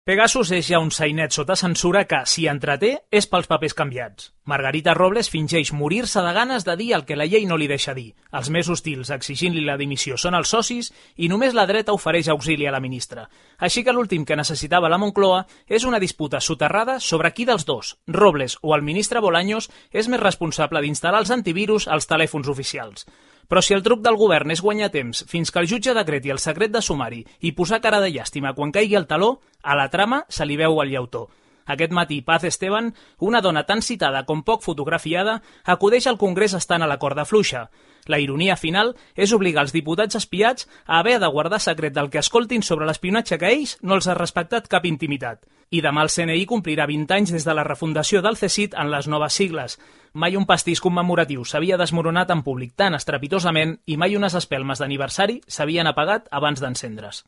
Pegasus és ja un sainet sota censura que, si entreté, és pels papers canviats. Margarita Robles fingeix morir-se de ganes de dir el que la llei no li deixa dir. Els més hostils exigint-li la dimissió són els socis i només la dreta ofereix auxili a la ministra. Així que l'últim que necessitava la Moncloa és una disputa soterrada sobre qui dels dos, Robles o el ministre Bolaños, és més responsable d'instal·lar els antivirus als telèfons oficials. Però si el truc del govern és guanyar temps fins que el jutge decreti el secret de sumari i posar cara de llàstima quan caigui el taló, a la trama se li veu el llautó. Aquest matí, Paz Esteban, una dona tan citada com poc fotografiada, acudeix al Congrés estant a la corda fluixa. La ironia final és obligar els diputats espiats a haver de guardar secret del que escoltin sobre l'espionatge que ells no els ha respectat cap intimitat. I demà el CNI complirà 20 anys des de la refundació del CSIC en les noves sigles. Mai un pastís commemoratiu s'havia desmoronat en públic tan estrepitosament i mai unes espelmes d'aniversari s'havien apagat abans d'encendre's.